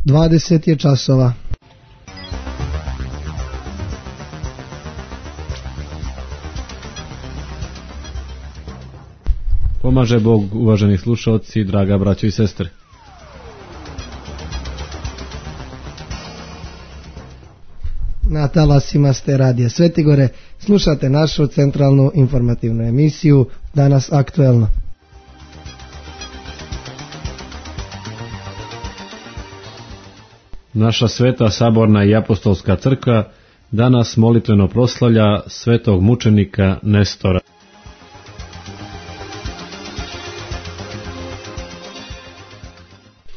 20 je časova. Pomaže Bog, uvaženi slušalci, draga braćo i sestre. Na talasima ste Radija Svetigore, slušate našu centralnu informativnu emisiju Danas aktuelno. Naša sveta saborna i apostolska crkva danas molitveno proslavlja svetog mučenika Nestora.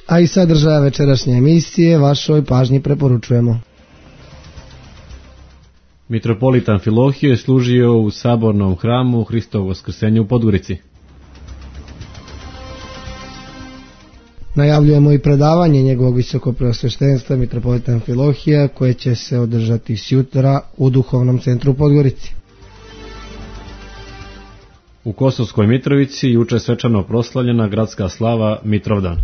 A i sadržaja večerašnje emisije vašoj pažnji preporučujemo. Mitropolit Amfilohije služio u sabornom hramu Hristovog Vaskrsenja u Podgorici. Najavljujemo i predavanje njegovog visokopreosveštenstva mitropolita Amfilohija koje će se održati sjutra u Duhovnom centru u Podgorici. U Kosovskoj Mitrovici juče svečano proslavljena gradska slava Mitrovdan.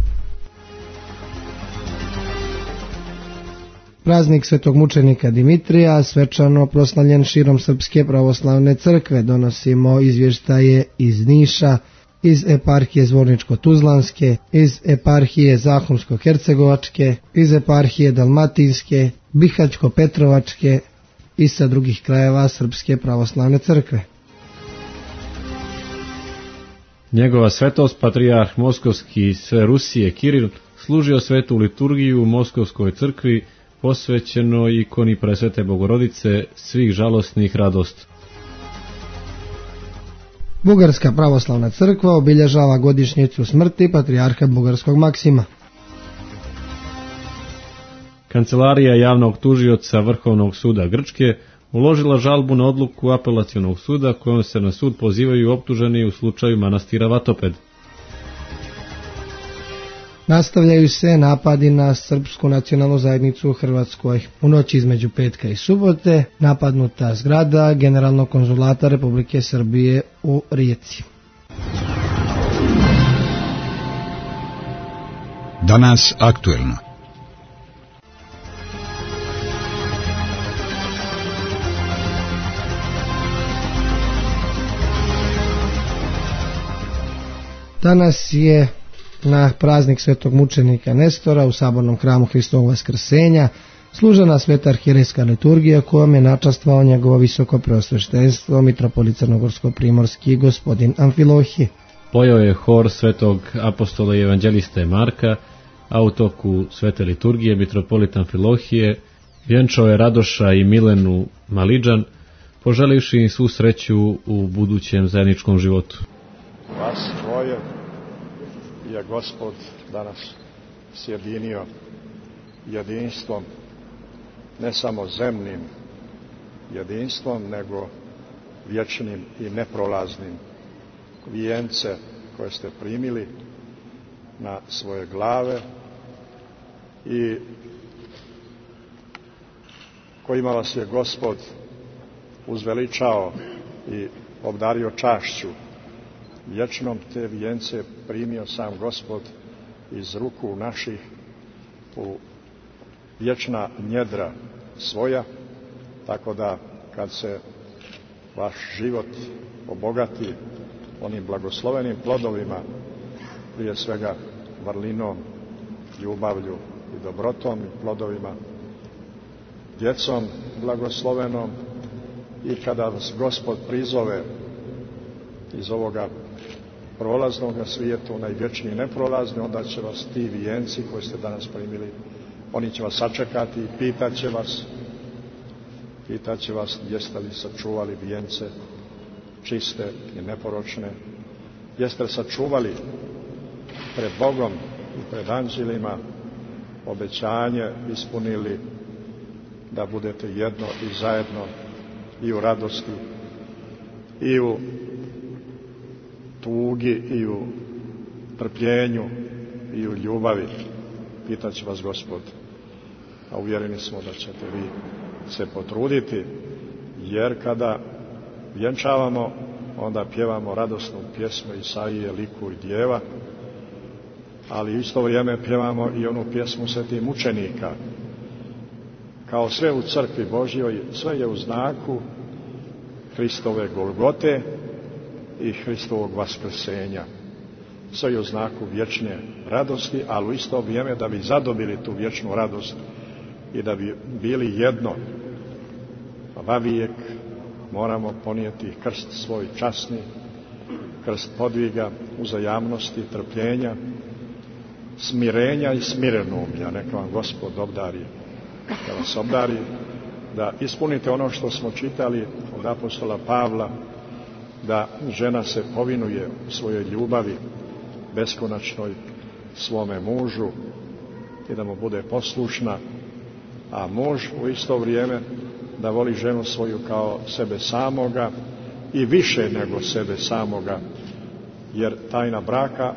Praznik svetog mučenika Dimitrija svečano proslavljen širom Srpske pravoslavne crkve. Donosimo izvještaje iz Niša, iz eparhije Zvorničko-Tuzlanske, iz eparhije Zahumsko-Hercegovačke, iz eparhije Dalmatinske, Bihaćko-Petrovačke i sa drugih krajeva Srpske pravoslavne crkve. Njegova svetost, patrijarh Moskovski i sve Rusije Kiril, služio svetu liturgiju u Moskovskoj crkvi, posvećeno ikoni Presvete Bogorodice svih žalosnih radost. Bugarska pravoslavna crkva obilježava godišnjicu smrti patrijarha bugarskog Maksima. Kancelarija javnog tužioca Vrhovnog suda Grčke uložila žalbu na odluku apelacionog suda kojom se na sud pozivaju optuženi u slučaju manastira Vatoped. Nastavljaju se napadi na srpsku nacionalnu zajednicu u Hrvatskoj. U noći između petka i subote napadnuta zgrada Generalnog konzulata Republike Srbije u Rijeci. Danas aktuelno. Danas je na praznik svetog mučenika Nestora u sabornom hramu Hristovog Vaskrsenja služena sveta arhijerejska liturgija kojom je načastvovao njegovo visoko preosveštenstvo mitropolit Crnogorsko-primorski gospodin Amfilohije. Pojao je hor svetog apostola i evanđeliste Marka, a u toku svete liturgije mitropolit Amfilohije vjenčao je Radoša i Milenu Malidžan, poželivši im svu sreću u budućem zajedničkom životu. Vas dvoje je Gospod danas sjedinio jedinstvom, ne samo zemnim jedinstvom, nego vječnim i neprolaznim. Vijence koje ste primili na svoje glave i kojima vas je Gospod uzveličao i obdario čašću vječnom, te vijence primio sam Gospod iz ruku naših u vječna njedra svoja, tako da kad se vaš život obogati onim blagoslovenim plodovima, prije svega vrlinom, ljubavlju i dobrotom i plodovima, djecom blagoslovenom, i kada vas Gospod prizove iz ovoga prolaznog svijeta u najvječniji neprolazni, onda će vas ti vijenci koji ste danas primili, oni će vas sačekati i pitat će vas jeste li sačuvali vijence čiste i neporočne, jeste li sačuvali pred Bogom i pred anđelima obećanje ispunili da budete jedno i zajedno i u radosti i u tugi i u trpljenju i u ljubavi. Pitat će vas Gospod, a uvjereni smo da ćete vi se potruditi, jer kada vjenčavamo, onda pjevamo radosnu pjesmu Isaije, liku i djeva, ali u isto vrijeme pjevamo i onu pjesmu svetih mučenika. Kao sve u crkvi Božjoj, sve je u znaku Hristove Golgote i Hristovog vaskrsenja. Sve je u znaku vječne radosti, ali u isto vrijeme da bi zadobili tu vječnu radost i da bi bili jedno, vavijek moramo ponijeti krst svoj časni, krst podviga, uzajamnosti, trpljenja, smirenja i smirenumlja. Neka vam Gospod obdari, da vas obdari, da ispunite ono što smo čitali od apostola Pavla, da žena se povinuje u svojoj ljubavi beskonačnoj svome mužu i da mu bude poslušna, a muž u isto vrijeme da voli ženu svoju kao sebe samoga i više nego sebe samoga, jer tajna braka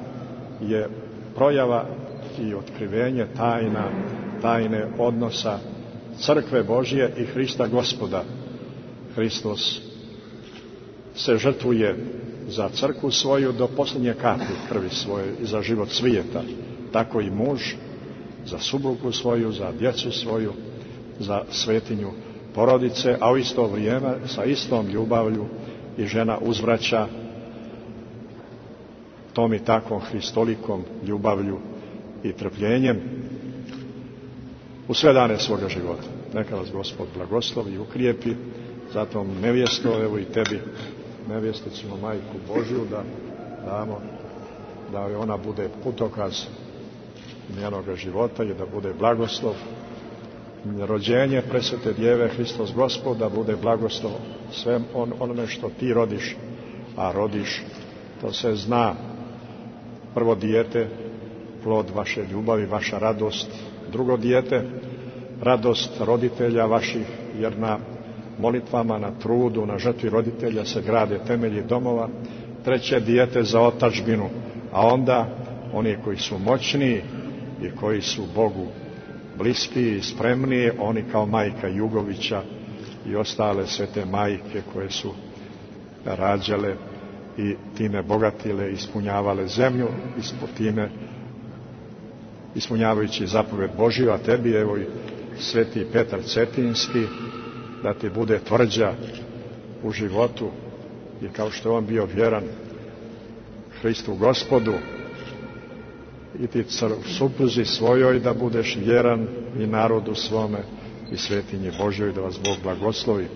je projava i otkrivenje tajne odnosa crkve Božje i Hrista Gospoda. Hristos se žrtvuje za crkvu svoju do posljednje kapi krvi svoje i za život svijeta. Tako i muž za suprugu svoju, za djecu svoju, za svetinju porodice, a u isto vrijeme sa istom ljubavlju i žena uzvraća tom i takvom hristolikom ljubavlju i trpljenjem u sve dane svoga života. Neka vas Gospod blagoslovi i ukrijepi, zato nevjesto, evo i tebi, nevjesticinu Majku Božju, da damo da ona bude putokaz njenoga života i da bude blagoslov. Rođenje presvete Djeve Hristos Gospod da bude blagoslov sve onome što ti rodiš, a rodiš, to se zna. Prvo dijete, plod vaše ljubavi, vaša radost. Drugo dijete, radost roditelja vaših, jer na molitvama, na trudu, na žrtvi roditelja se grade temelji domova. Treće dijete za otadžbinu, a onda oni koji su moćniji i koji su Bogu bliskiji i spremniji, oni kao majka Jugovića i ostale svete majke koje su rađale i time bogatile, ispunjavale zemlju, time ispunjavajući zapovjed Božju, a tebi evo i sveti Petar Cetinski, da ti bude tvrđa u životu i kao što je on bio vjeran Hristu Gospodu, i ti supruzi svojoj da budeš vjeran i narodu svome i svetinji Božjoj, da vas Bog blagoslovi.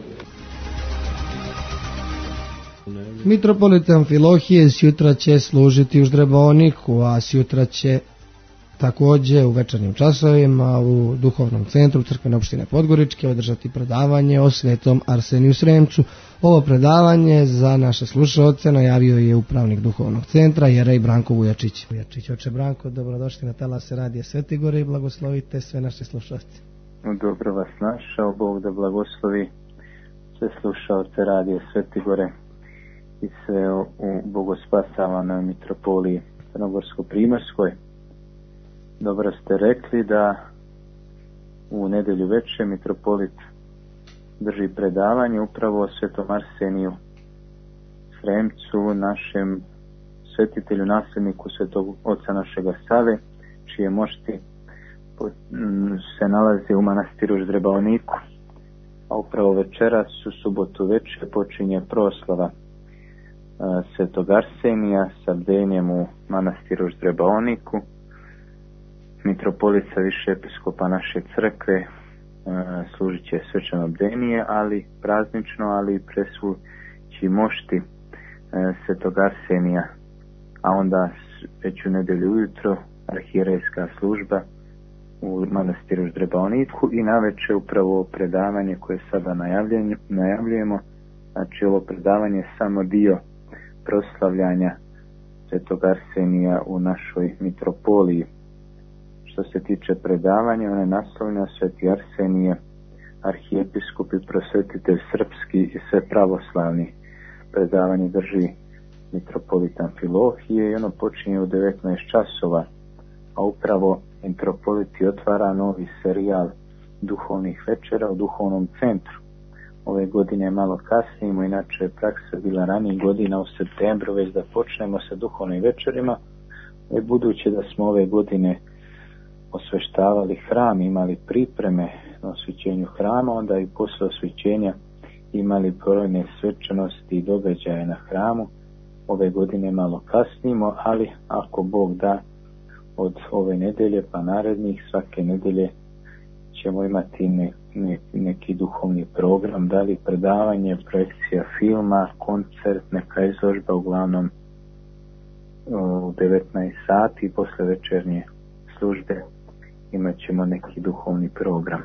Mitropolit Amfilohije sjutra će služiti u Ždreboniku, a sjutra će također u večernjim časovima u duhovnom centru crkvene opštine Podgoričke održati predavanje o svetom Arseniju Sremcu. Ovo predavanje za naše slušaoce najavio je upravnik duhovnog centra jerej Branko Vujačić. Oče Branko, dobrodošli na talase radija Svetigore i blagoslovite sve naše slušaoce. Dobro vas našao, Bog da blagoslovi sve slušaoce radija Svetigore i sve u bogospasavanoj mitropoliji Crnogorsko-Primorskoj. Dobro ste rekli da u nedjelju večer mitropolit drži predavanje upravo o svetom Arseniju Sremcu, našem svetitelju, nasljedniku svetog oca našega Save, čije mošti se nalaze u manastiru Ždreboniku. A upravo večeras u subotu večer počinje proslava svetog Arsenija sa bdenjem u manastiru Ždreboniku. Mitropolica više episkopa naše crkve služit će svečano bdenije, ali praznično, ali i presvući mošti svetog Arsenija, a onda već u nedjelju ujutro arhijerejska služba u manastiru Ždreboniku i navečer upravo predavanje koje sada najavljujemo. Znači ovo predavanje je samo dio proslavljanja svetog Arsenija u našoj mitropoliji. Što se tiče predavanja, ona je naslovljena Sveti Arsenije, arhijepiskop i prosvetitelj srpski i sve pravoslavni. Predavanje drži mitropolit Amfilohije i ono počinje u 19 časova, a upravo mitropoliti otvara novi serijal duhovnih večera u duhovnom centru. Ove godine malo kasnimo, inače je praksa bila ranijih godina u septembru već da počnemo sa duhovnim večerima. Budući da smo ove godine osveštavali hram, imali pripreme na osvećenju hrama, onda i posle osvećenja imali brojne svečanosti i događaje na hramu. Ove godine malo kasnimo, ali ako Bog da, od ove nedelje pa narednih, svake nedelje ćemo imati neki duhovni program, da li predavanje, projekcija filma, koncert, neka izložba, uglavnom u 19 sati posle večernje službe imat ćemo neki duhovni program.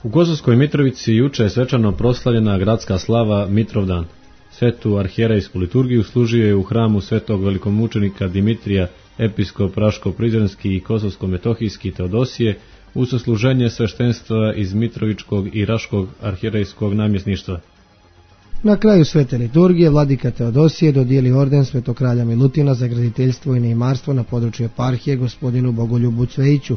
U Kosovskoj Mitrovici juče je svečano proslavljena gradska slava Mitrovdan. Svetu arhijerejsku liturgiju služio je u hramu svetog velikomučenika Dimitrija, episkop Raško-Prizrenski i Kosovsko-Metohijski Teodosije, uz sasluženje sveštenstva iz Mitrovičkog i Raškog arhijerejskog namjesništva. Na kraju svete liturgije vladika Teodosije dodijeli orden svetog kralja Milutina za graditeljstvo i neimarstvo na području eparhije gospodinu Bogoljubu Cvejiću,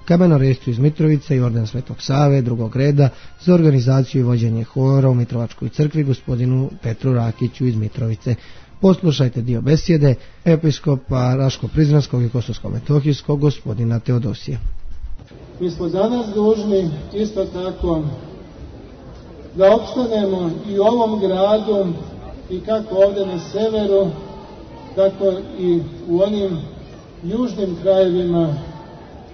kamenorescu iz Mitrovice i orden svetog Save drugog reda za organizaciju i vođenje hora u Mitrovačkoj crkvi gospodinu Petru Rakiću iz Mitrovice. Poslušajte dio besjede episkopa Raško-Prizrenskog i Kosovsko-Metohijskog gospodina Teodosija. Mi smo danas dužni isto tako da opstanemo i u ovom gradu i kako ovdje na severu, tako i u onim južnim krajevima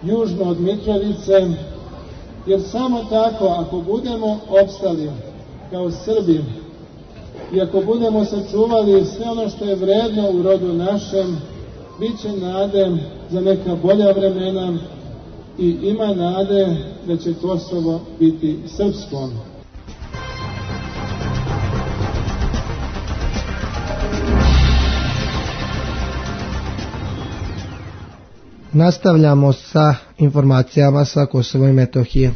južno od Mitrovice, jer samo tako ako budemo opstali kao Srbi i ako budemo sačuvali sve ono što je vredno u rodu našem, bit će nade za neka bolja vremena i ima nade da će Kosovo biti srpsko. Nastavljamo sa informacijama sa Kosova i Metohije.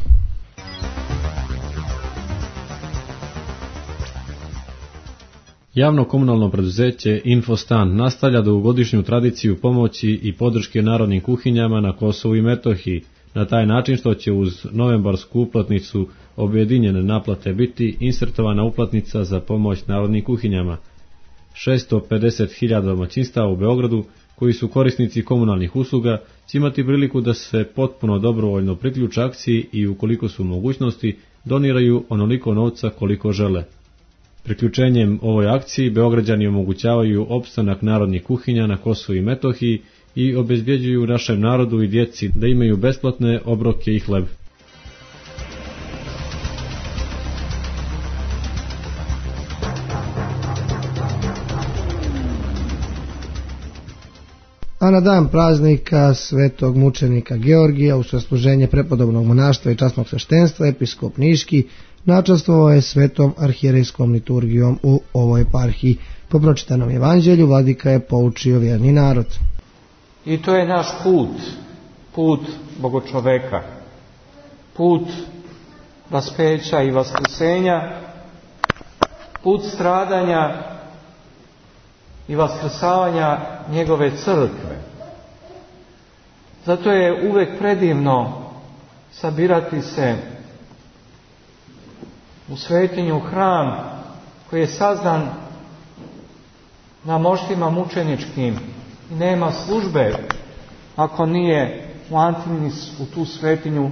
Javno komunalno preduzeće Infostan nastavlja dugogodišnju tradiciju pomoći i podrške narodnim kuhinjama na Kosovu i Metohiji, na taj način što će uz novembarsku uplatnicu objedinjene naplate biti insertovana uplatnica za pomoć narodnim kuhinjama. 650.000 domaćinstava u Beogradu koji su korisnici komunalnih usluga će imati priliku da se potpuno dobrovoljno priključe akciji i ukoliko su mogućnosti doniraju onoliko novca koliko žele. Priključenjem ovoj akciji Beograđani omogućavaju opstanak narodnih kuhinja na Kosovu i Metohiji i obezbjeđuju našem narodu i djeci da imaju besplatne obroke i hleb. A na dan praznika svetog mučenika Georgija u sasluženje prepodobnog monaštva i časnog sveštenstva episkop Niški načastvovao je svetom arhijerejskom liturgijom u ovoj eparhiji. Po pročitanom evanđelju vladika je poučio vjerni narod. I to je naš put bogočoveka, put raspeća i vaskrsenja, put stradanja i vaskrsavanja njegove crkve. Zato je uvek predivno sabirati se u svetinju hram koji je sazdan na moštima mučeničkim i nema službe ako nije u Antinis, u tu svetinju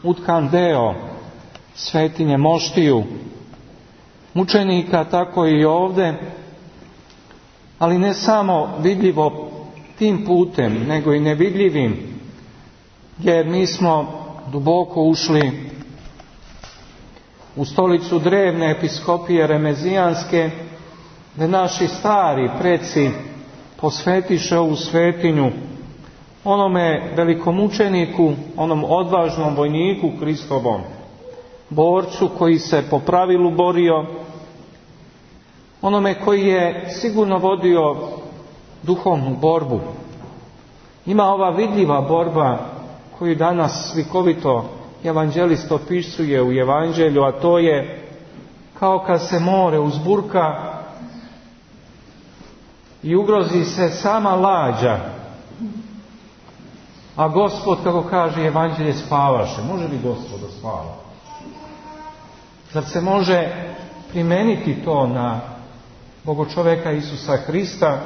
utkan deo svetinje moštiju mučenika, tako i ovdje, ali ne samo vidljivo tim putem, nego i nevidljivim, jer mi smo duboko ušli u stolicu drevne episkopije Remezijanske, gdje naši stari preci posvetiše ovu svetinju onome velikomučeniku, onom odvažnom vojniku Hristovom, borcu koji se po pravilu borio, onome koji je sigurno vodio duhovnu borbu. Ima ova vidljiva borba koju danas slikovito evanđelist opisuje u evanđelju, a to je kao kad se more uzburka i ugrozi se sama lađa, a Gospod, kako kaže evanđelje, spavaše. Može li Gospod da spava? Zar se može primeniti to na Bogočoveka Isusa Hrista?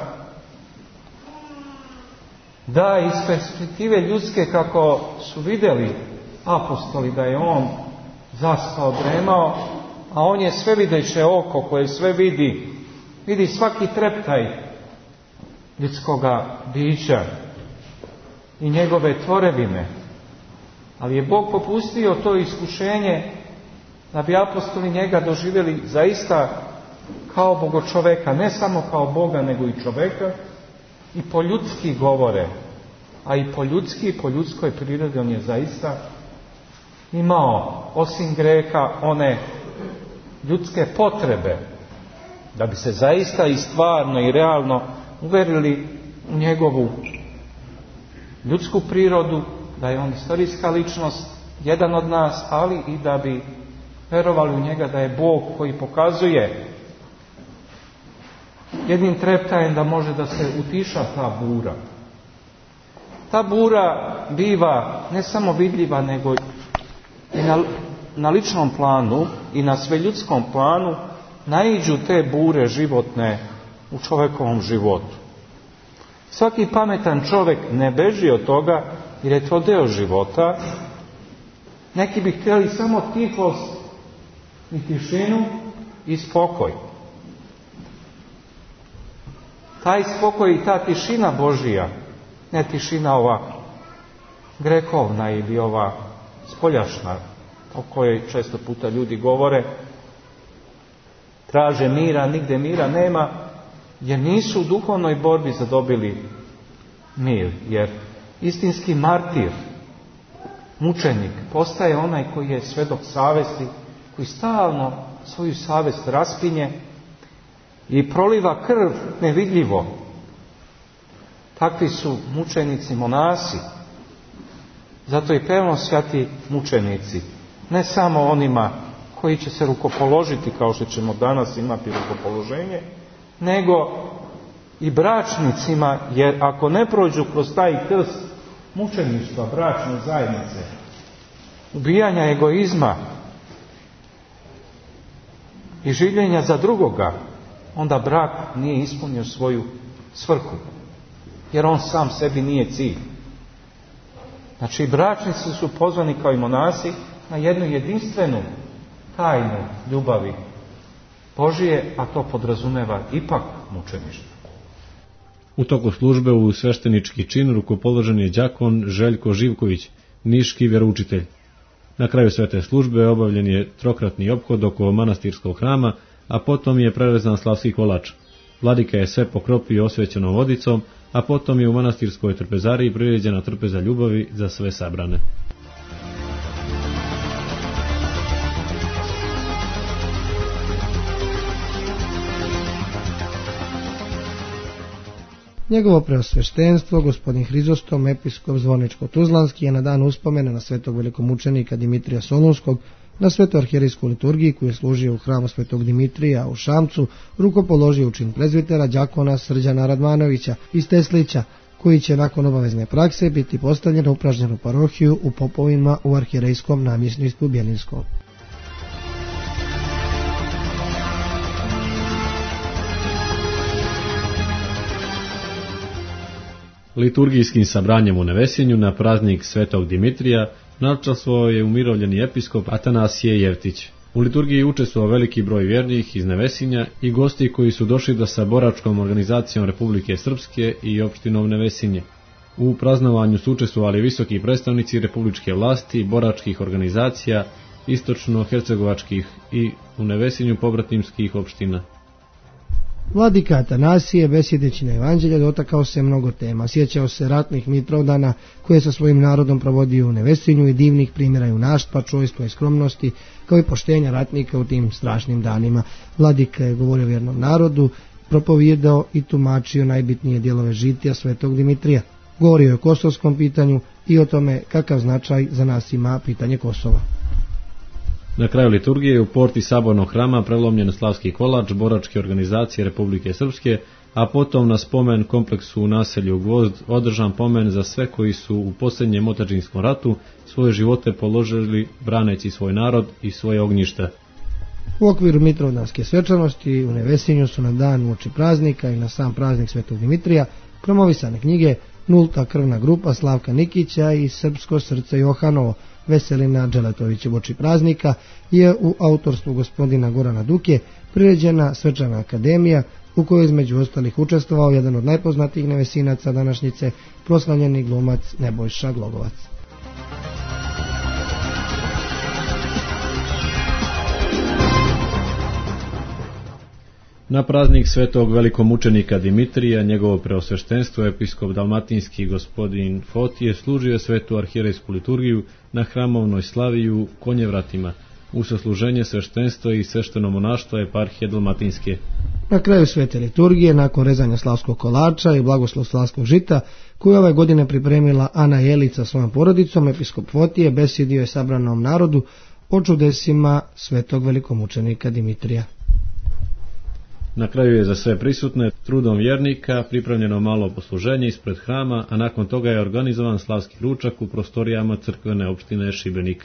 Da, iz perspektive ljudske, kako su vidjeli apostoli da je on zaspao, dremao, a on je svevideće oko koje sve vidi svaki treptaj ljudskoga bića i njegove tvorevine. Ali je Bog popustio to iskušenje da bi apostoli njega doživjeli zaista kao Bogočoveka, ne samo kao Boga, nego i čoveka, i po ljudski govore, a i po ljudski i po ljudskoj prirodi on je zaista imao, osim greha, one ljudske potrebe, da bi se zaista i stvarno i realno uverili u njegovu ljudsku prirodu, da je on istorijska ličnost, jedan od nas, ali i da bi verovali u njega da je Bog koji pokazuje jednim treptajem da može da se utiša ta bura. Ta bura biva ne samo vidljiva, nego i na ličnom planu i na sveljudskom planu naiđu te bure životne u čovjekovom životu. Svaki pametan čovjek ne beži od toga jer je to deo života. Neki bi htjeli samo tihost i tišinu i spokoj. Taj spokoj i ta tišina Božija, ne tišina ova grehovna ili ova spoljašna, o kojoj često puta ljudi govore, traže mira, nigde mira nema, jer nisu u duhovnoj borbi zadobili mir. Jer istinski martir, mučenik, postaje onaj koji je svedok savesti, koji stalno svoju savest raspinje i proliva krv nevidljivo. Takvi su mučenici monasi. Zato i pevno svjati mučenici. Ne samo onima koji će se rukopoložiti, kao što ćemo danas imati rukopoloženje, nego i bračnicima, jer ako ne prođu kroz taj krst mučeništva, bračne zajednice, ubijanja egoizma i življenja za drugoga, onda brak nije ispunio svoju svrhu, jer on sam sebi nije cilj. Znači, bračnici su pozvani kao i monasi na jednu jedinstvenu tajnu ljubavi Božije, a to podrazumeva ipak mučeništvo. U toku službe u sveštenički čin rukopoložen je đakon Željko Živković, niški vjeroučitelj. Na kraju svete službe obavljen je trokratni ophod oko manastirskog hrama, a potom je prerezan slavski kolač. Vladika je sve pokropio osvećenom vodicom, a potom je u manastirskoj trpezariji priređena trpeza ljubavi za sve sabrane. Njegovo preosveštenstvo, gospodin Hrizostom, episkop Zvorničko-Tuzlanski, je na dan uspomena na svetog velikomučenika Dimitrija Solunskog, na svetoj arhijerejskoj liturgiji koju je služio u hramu svetog Dimitrija u Šamcu, rukopoložio u čin prezbitera đakona Srđana Radmanovića iz Teslića, koji će nakon obavezne prakse biti postavljen u upražnjenu parohiju u Popovima u arhijerejskom namjesništvu Bjelinskom. Liturgijskim sabranjem u Nevesinju na praznik svetog Dimitrija načastvovao je umirovljeni episkop Atanasije Jevtić. U liturgiji učestvovao veliki broj vjernih iz Nevesinja i gosti koji su došli da sa boračkom organizacijom Republike Srpske i opštinom Nevesinje. U praznovanju su učestvovali visoki predstavnici republičke vlasti, boračkih organizacija, istočno-hercegovačkih i u Nevesinju pobratimskih opština. Vladika Atanasije, besjedeći na evanđelje, dotakao se mnogo tema. Sjećao se ratnih Mitrovdana koje sa svojim narodom provodio u Nevesinju i divnih primjera junaštva, čojstva i skromnosti, kao i poštenja ratnika u tim strašnim danima. Vladika je govorio vjernom narodu, propovijedao i tumačio najbitnije dijelove žitija svetog Dimitrija. Govorio je o kosovskom pitanju i o tome kakav značaj za nas ima pitanje Kosova. Na kraju liturgije u porti sabornog hrama prelomljen slavski kolač boračke organizacije Republike Srpske, a potom na spomen kompleksu u naselju Gvozd održan pomen za sve koji su u posljednjem otadžinskom ratu svoje živote položili braneći svoj narod i svoje ognjište. U okviru Mitrovdanske svečanosti u Nevesinju su na dan uoči praznika i na sam praznik Svetog Dimitrija promovisane knjige Nulta krvna grupa Slavka Nikića i Srpsko srce Johanovo Veselina Dželetovića uoči praznika je u autorstvu gospodina Gorana Duke priređena svečana akademija u kojoj između ostalih učestvovao jedan od najpoznatijih nevesinaca današnjice, proslavljeni glumac Nebojša Glogovac. Na praznik svetog velikomučenika Dimitrija, njegovo preosveštenstvo, episkop dalmatinski gospodin Fotije, služio svetu arhijerejsku liturgiju na hramovnoj slavi u Konjevratima, u sasluženje sveštenstva i svešteno monaštvo eparhije dalmatinske. Na kraju svete liturgije, nakon rezanja slavskog kolača i blagoslov slavskog žita, koju ove godine pripremila Ana Jelić sa svojom porodicom, episkop Fotije besjedio je sabranom narodu o čudesima svetog velikomučenika Dimitrija. Na kraju je za sve prisutne trudom vjernika pripremljeno malo posluženje ispred hrama, a nakon toga je organizovan slavski ručak u prostorijama crkvene opštine Šibenik.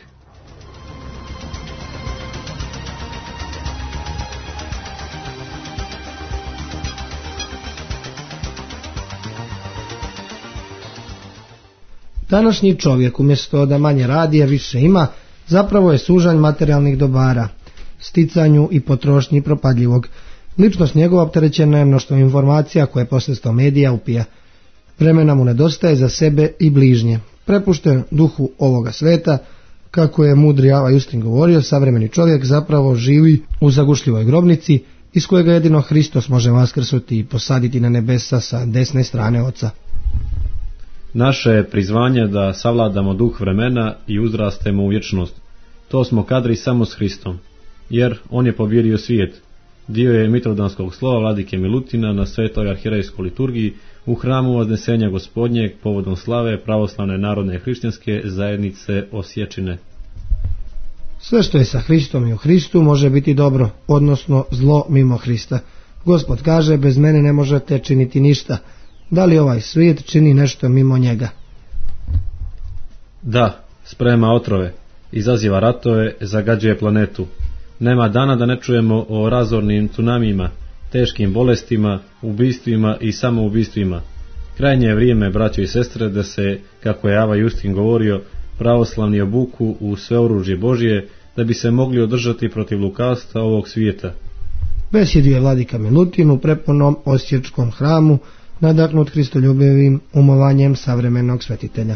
Današnji čovjek umjesto da manje radi, a više ima, zapravo je sužanj materijalnih dobara, sticanju i potrošnji propadljivog. Ličnost njegova opterećena je mnoštvom informacija koje posredstvom medija upija. Vremena mu nedostaje za sebe i bližnje. Prepušten duhu ovoga sveta, kako je mudri Ava Justin govorio, savremeni čovjek zapravo živi u zagušljivoj grobnici, iz kojega jedino Hristos može vaskrsuti i posaditi na nebesa sa desne strane Oca. Naše je prizvanje da savladamo duh vremena i uzrastemo u vječnost. To smo kadri samo s Hristom, jer on je pobjedio svijet. Dio je Mitrovdanskog slova vladike Milutina na svetoj arhijerejskoj liturgiji u hramu Vaznesenja Gospodnjeg povodom slave pravoslavne narodne hrišćanske zajednice Osječine. Sve što je sa Hristom i u Hristu može biti dobro, odnosno zlo mimo Hrista. Gospod kaže, bez mene ne možete činiti ništa. Da li ovaj svijet čini nešto mimo njega? Da, sprema otrove, izaziva ratove, zagađuje planetu. Nema dana da ne čujemo o razornim tsunamijima, teškim bolestima, ubistvima i samoubistvima. Krajnje je vrijeme, braćo i sestre, da se, kako je Ava Justin govorio, pravoslavni obuku u sve oružje Božje, da bi se mogli održati protiv lukavstva ovog svijeta. Besjedio je vladika Milutin u prepunom osječkom hramu, nadahnut hristoljubivim umovanjem savremenog svetitelja.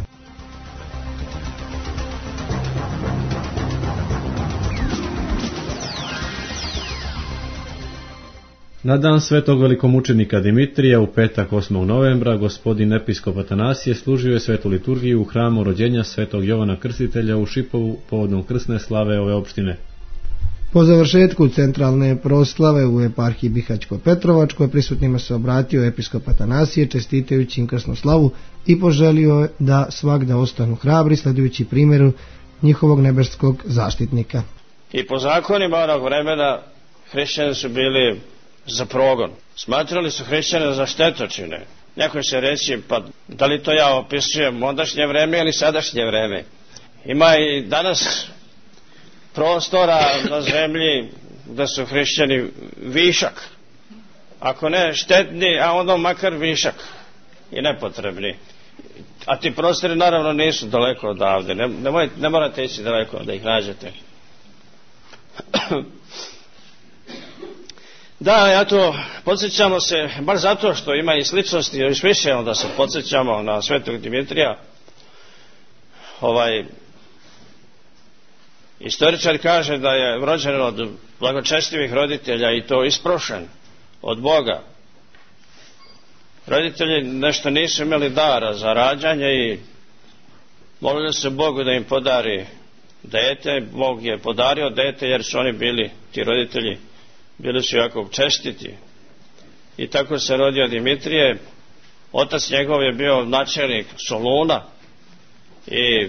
Na dan svetog velikomučenika Dimitrija u petak 8. novembra gospodin episkop Atanasije služio je svetu liturgiju u hramu rođenja svetog Jovana Krstitelja u Šipovu povodom krsne slave ove opštine. Po završetku centralne proslave u eparhiji Bihaćko-Petrovačkoj prisutnima se obratio episkop Atanasije čestitajući im krsnu slavu i poželio da svagda ostanu hrabri sledujući primjeru njihovog nebeskog zaštitnika. I po zakonima onog vremena hrišćani su bili za progon. Smatrali su hrišćane za štetočine. Neko će reći, pa da li to ja opisujem ondašnje vreme ili sadašnje vreme? Ima i danas prostora na zemlji da su hrišćani višak. Ako ne štetni, a onda makar višak i nepotrebni. A ti prostori naravno nisu daleko odavde. Ne morate ići daleko da ih nađete. Da, eto, podsjećamo se, baš zato što ima i sličnosti, još više onda se podsjećamo na svetog Dimitrija. Istoričar kaže da je rođen od blagočestivih roditelja i to isprošen od Boga. Roditelji nešto nisu imali dara za rađanje i molili se Bogu da im podari dete. Bog je podario dete jer su oni bili, ti roditelji, bili su jako čestiti. I tako se rodio Dimitrije. Otac njegov je bio načelnik Soluna i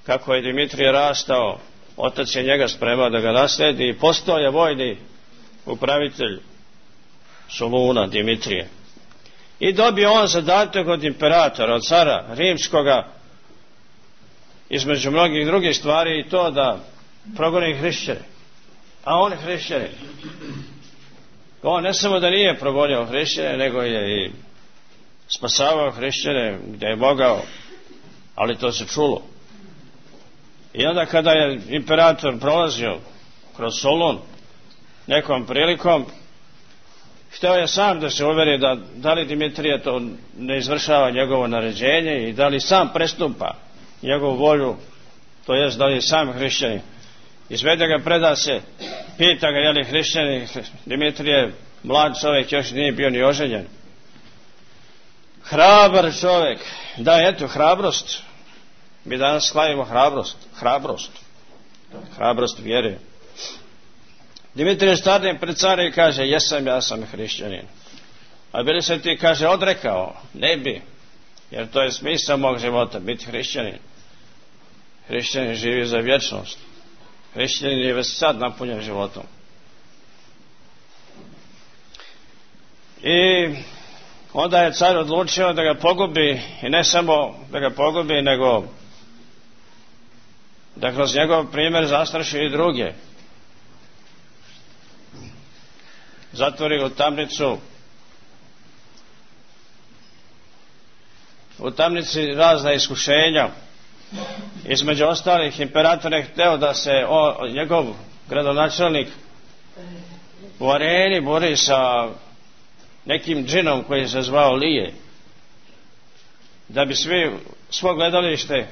kako je Dimitrije rastao, otac je njega spremao da ga nasledi i postao je vojni upravitelj Soluna Dimitrije. I dobio on zadatak od imperatora, od cara rimskoga, između mnogih drugih stvari i to da progoni hrišćane. a on je hrišćanin. On ne samo da nije progonio hrišćane, nego je i spasavao hrišćane gdje je mogao, ali to se čulo. I onda kada je imperator prolazio kroz Solun nekom prilikom, htio je sam da se uveri da li Dimitrije to ne izvršava njegovo naređenje i da li sam prestupa njegovu volju, to jest da li je sam hrišćanin. Izvede ga, preda se, pita ga je li hrišćanin. Dimitrije, mlad čovjek, još nije bio ni oženjen. Hrabar čovjek, da, eto, hrabrost. Mi danas slavimo hrabrost vjere. Dimitrije stane pred cara i kaže, ja sam hrišćanin. A bili se ti, kaže, odrekao? Ne bi, jer to je smisao mog života, biti hrišćanin. Hrišćanin živi za vječnost. Hrišćanin je već sad napunjen životom. I onda je car odlučio da ga pogubi, i ne samo da ga pogubi, nego da kroz njegov primjer zastraši i druge. Zatvori ga u tamnicu. U tamnici razna iskušenja. Između ostalih, imperator je hteo da se njegov gradonačelnik u areni bori sa nekim džinom koji se zvao Lije, da bi svo gledalište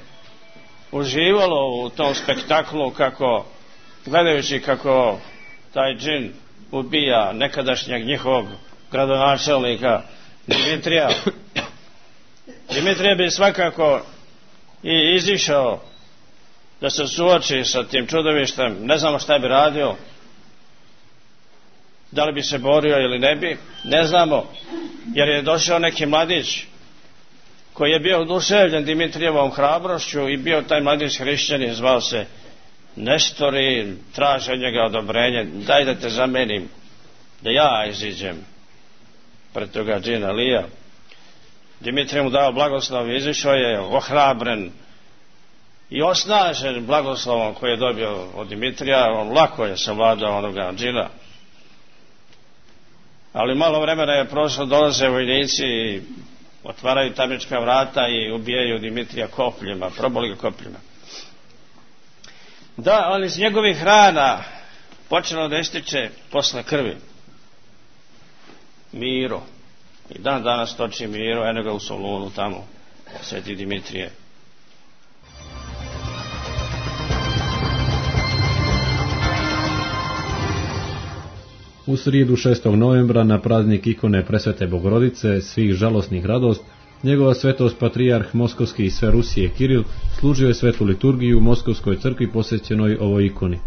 uživalo u tom spektaklu, gledajući kako taj džin ubija nekadašnjeg njihovog gradonačelnika Dimitrija. Dimitrije bi svakako i izišao da se suoči sa tim čudovištem. Ne znamo šta bi radio, da li bi se borio ili ne bi, ne znamo, jer je došao neki mladić koji je bio oduševljen Dimitrijevom hrabrošću i bio taj mladić hrišćanin, zvao se Nestor i traže od njega odobrenje, daj da te zamenim, da ja iziđem pred toga džina Lija. Dimitrije mu dao blagoslov, izišao je ohrabren i osnažen blagoslovom koji je dobio od Dimitrija. On lako je savladao onoga džina. Ali malo vremena je prošlo, dolaze vojnici i otvaraju tamnička vrata i ubijaju Dimitrija kopljima, proboli ga kopljima. Da, ali iz njegovih rana počelo da ističe posle krvi Miro. I dan danas toči Miro, eno ga u Solunu tamo, sveti Dimitrije. U srijedu 6. novembra na praznik ikone Presvete Bogorodice, svih žalosnih radost, njegova svetost patrijarh Moskovski i sve Rusije Kiril služio je svetu liturgiju u Moskovskoj crkvi posvećenoj ovoj ikoni.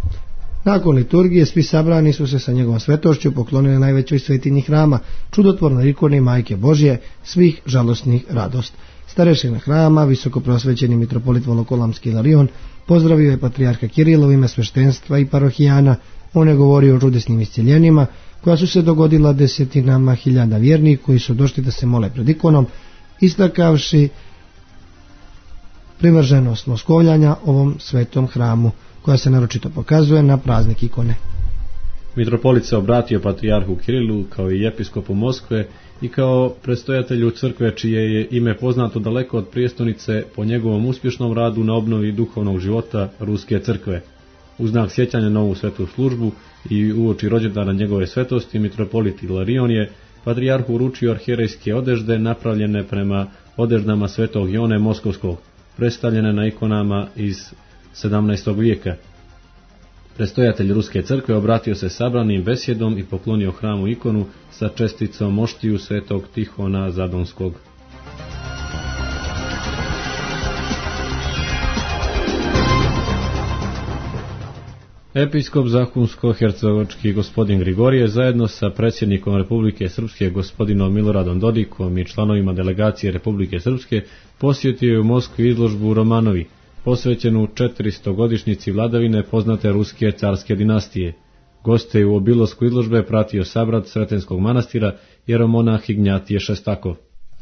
Nakon liturgije svi sabrani su se sa njegovom svetošću poklonili najvećoj svetinji hrama, čudotvornoj ikoni Majke Božje, svih žalosnih radost. Starešina hrama, visoko prosvećeni mitropolit Volokolamski Ilarion, pozdravio je patrijarha Kirila u ime sveštenstva i parohijana. On je govorio o čudesnim isceljenjima koja su se dogodila desetinama hiljada vjernih koji su došli da se mole pred ikonom, istakavši privrženost Moskovljanja ovom svetom hramu, koja se naročito pokazuje na praznik ikone. Mitropolit se obratio patrijarhu Kirilu kao i episkopu Moskve i kao predstojatelju crkve čije je ime poznato daleko od prijestolnice po njegovom uspješnom radu na obnovi duhovnog života Ruske crkve. U znak sjećanja na ovu svetu službu i uoči rođendana njegove svetosti, mitropolit Ilarion je patrijarhu uručio arhijerejske odežde napravljene prema odeždama svetog Jone Moskovskog, predstavljene na ikonama iz 17. vijeka. Predstojatelj Ruske crkve obratio se sabranim besjedom i poklonio hramu ikonu sa česticom moštiju svetog Tihona Zadonskog. Episkop Zahumsko-hercegovački gospodin Grigorije zajedno sa predsjednikom Republike Srpske gospodinom Miloradom Dodikom i članovima delegacije Republike Srpske posjetio je u Moskvi izložbu Romanovi, posvećenu 400-godišnjici vladavine poznate ruske carske dinastije. Goste je u obilasku izložbe pratio sabrat Sretenskog manastira jeromonah Ignjatije Šestakov.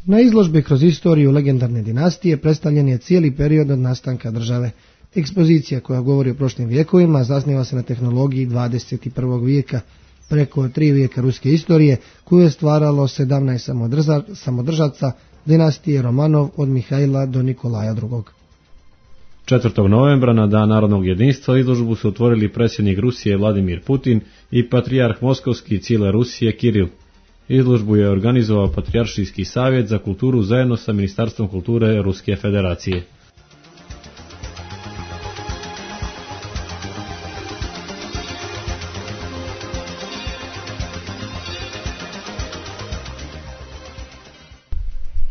Na izložbi kroz istoriju legendarne dinastije predstavljen je cijeli period od nastanka države. Ekspozicija koja govori o prošlim vijekovima zasniva se na tehnologiji 21. vijeka, preko 3 vijeka ruske istorije koju je stvaralo 17 samodržaca dinastije Romanov od Mihajla do Nikolaja II. 4. novembra na Dan narodnog jedinstva izložbu su otvorili predsjednik Rusije Vladimir Putin i patrijarh Moskovski cijele Rusije Kiril. Izložbu je organizovao Patrijaršijski savjet za kulturu zajedno sa Ministarstvom kulture Ruske federacije.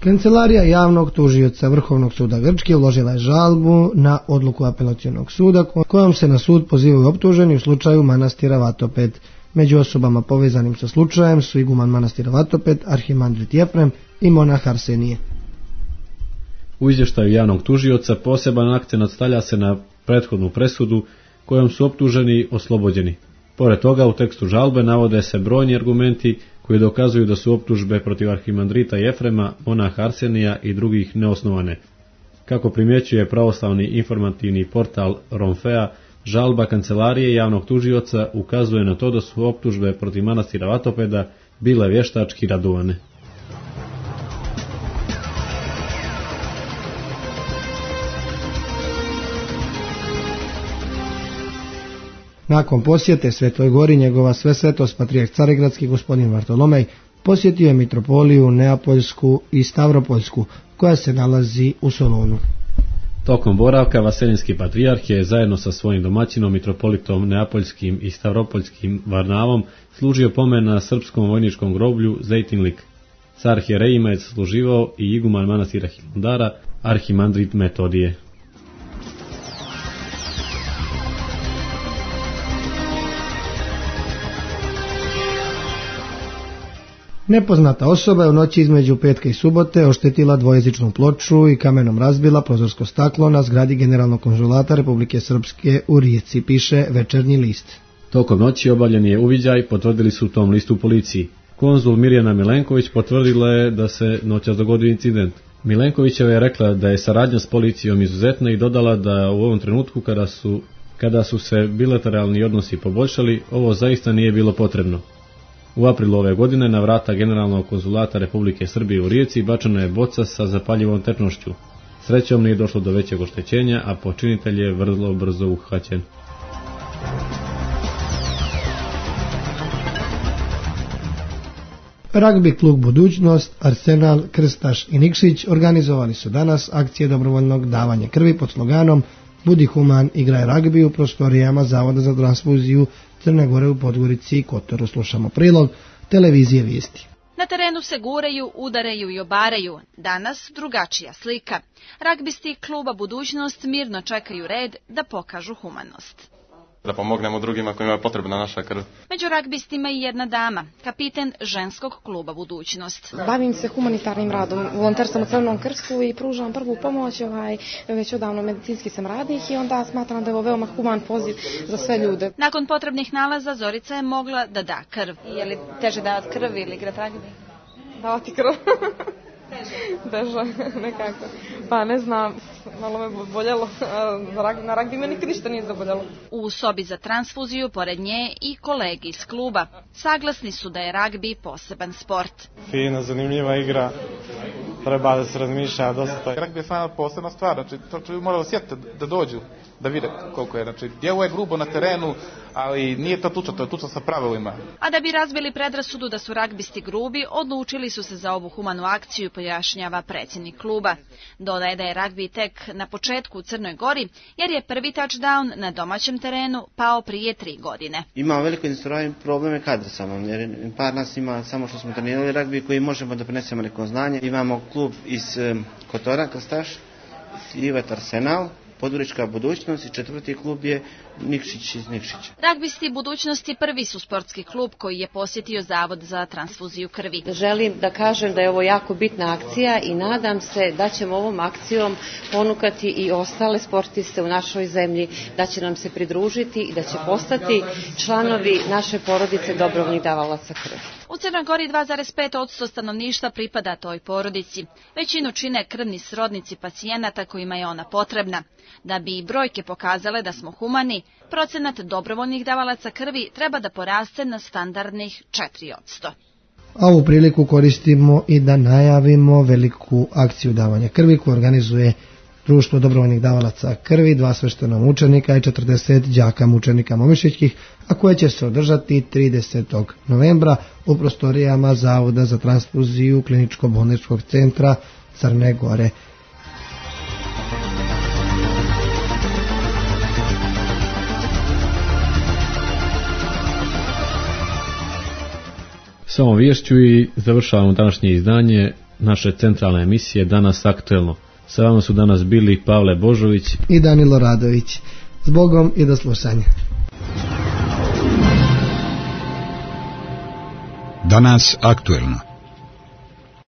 Kancelarija javnog tužioca Vrhovnog suda Grčke uložila je žalbu na odluku apelacionog suda kojom se na sud pozivaju optuženi u slučaju manastira Vatoped. Među osobama povezanim sa slučajem su iguman manastira Vatoped, arhimandrit Jefrem i monah Arsenije. U izvještaju javnog tužioca poseban akcenat stavlja se na prethodnu presudu kojom su optuženi oslobođeni. Pored toga u tekstu žalbe navode se brojni argumenti koji dokazuju da su optužbe protiv arhimandrita Jefrema, monaha Arsenija i drugih neosnovane. Kako primjećuje pravoslavni informativni portal Romfea, žalba kancelarije javnog tužioca ukazuje na to da su optužbe protiv manastira Vatopeda bile vještački radovane. Nakon posjete Svetoj Gori njegova svesvetost patrijarh Carigradski gospodin Vartolomej posjetio je mitropoliju Neapoljsku i Stavropoljsku koja se nalazi u Solunu. Tokom boravka Vaselinski patrijarh je zajedno sa svojim domaćinom mitropolitom Neapoljskim i Stavropoljskim Varnavom služio pomen na srpskom vojničkom groblju Zejtinlik. S arhijerejima je služivao i iguman manastira Hilandara, arhimandrit Metodije. Nepoznata osoba je u noći između petka i subote oštetila dvojezičnu ploču i kamenom razbila prozorsko staklo na zgradi Generalnog konzulata Republike Srpske u Rijeci, piše Večernji list. Tokom noći obavljen je uviđaj, potvrdili su u tom listu policiji. Konzul Mirjana Milenković potvrdila je da se noćas dogodio incident. Milenkovićeva je rekla da je saradnja s policijom izuzetna i dodala da u ovom trenutku kada su se bilateralni odnosi poboljšali, ovo zaista nije bilo potrebno. U aprilu ove godine na vrata Generalnog konzulata Republike Srbije u Rijeci bačena je boca sa zapaljivom tečnošću. Srećom nije došlo do većeg oštećenja, a počinitelj je vrlo brzo uhvaćen. Ragbi klub Budućnost, Arsenal, Krstaš i Nikšić organizovali su danas akcije dobrovoljnog davanja krvi pod sloganom Budi human, igraj ragbi u prostorijama Zavoda za transfuziju Crne Gore u Podgorici i Kotoru. Slušamo prilog televizije Vijesti. Na terenu se guraju, udaraju i obaraju. Danas drugačija slika. Ragbisti kluba Budućnost mirno čekaju red da pokažu humanost. Da pomognemo drugima kojima je potrebna naša krv. Među ragbistima i jedna dama, kapiten ženskog kluba Budućnost. Bavim se humanitarnim radom, volonter sam u Crvenom krstu i pružam prvu pomoć, već odavno medicinski sam radnik i onda smatram da je ovo veoma human poziv za sve ljude. Nakon potrebnih nalaza Zorica je mogla da da krv. Je li teže davati krv ili igrati ragbi? Davati krv. Teže, nekako. Pa ne znam, malo me boljelo. Na ragbi me nikad ništa nije zaboljelo. U sobi za transfuziju pored nje i kolegi iz kluba. Saglasni su da je ragbi poseban sport. Fina, zanimljiva igra. Treba da se razmišlja dosta. Ragbi je stvarno posebna stvar, znači to moraju osjetiti da dođu, da vide koliko je. Znači, djevo je grubo na terenu, ali nije to tuča, to je tuča sa pravilima. A da bi razbili predrasudu da su ragbisti grubi, odlučili su se za ovu humanu akciju, pojašnjava predsjednik kluba. Dodaje da je ragbi tek na početku u Crnoj Gori, jer je prvi touchdown na domaćem terenu pao prije 3 godine. Imamo veliko probleme kadra samo, jer par nas ima samo što smo trenirali ragbi koji možemo da prenesemo neko znanje. Imamo klub iz Kotora, Krstaš, Ivet Arsenal, Podgorička Budućnost i četvrti klub je Nikšić iz Nikšića. Ragbisti Budućnosti prvi su sportski klub koji je posjetio Zavod za transfuziju krvi. Želim da kažem da je ovo jako bitna akcija i nadam se da ćemo ovom akcijom ponukati i ostale sportiste u našoj zemlji, da će nam se pridružiti i da će postati članovi naše porodice dobrovoljnih davalaca krvi. U Crnoj Gori 2,5% stanovništva pripada toj porodici. Većinu čine krvni srodnici pacijenata kojima je ona potrebna. Da bi i brojke pokazale da smo humani, procenat dobrovoljnih davalaca krvi treba da poraste na standardnih 4%. A ovu priliku koristimo i da najavimo veliku akciju davanja krvi koju organizuje Društvo dobrovoljnih davalaca krvi, 2 sveštena mučenika i 40 đaka mučenika momišićkih, a koje će se održati 30. novembra u prostorijama Zavoda za transfuziju Kliničko-bolničkog centra Crne Gore. S ovom viješću i završavamo današnje izdanje naše centralne emisije Danas aktuelno. Sa vama su danas bili Pavle Božović i Danilo Radović. Zbogom i do slušanja. Danas aktuelno.